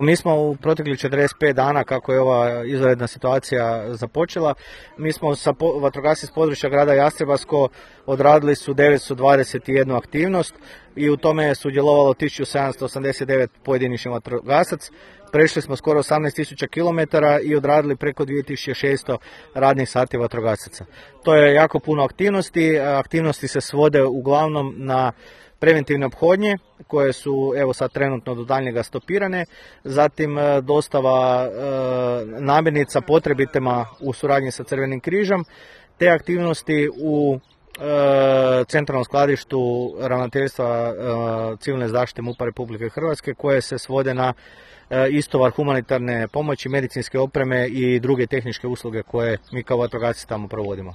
Mi smo u proteklih 45 dana, kako je ova izvanredna situacija započela, mi smo sa vatrogasci s područja grada Jastrebarsko odradili su 921 aktivnost i u tome je sudjelovalo 1789 pojedinačnih vatrogasac. Prešli smo skoro 18.000 km i odradili preko 2600 radnih sati vatrogasaca. To je jako puno aktivnosti. Aktivnosti se svode uglavnom na preventivne ophodnje koje su evo sad trenutno do daljnjega stopirane, zatim dostava namirnica potrebitima u suradnji sa Crvenim križom, te aktivnosti u centralnom skladištu Ravnateljstva civilne zaštite MUP-a Republike Hrvatske koje se svode na istovar humanitarne pomoći, medicinske opreme i druge tehničke usluge koje mi kao vatrogasci tamo provodimo.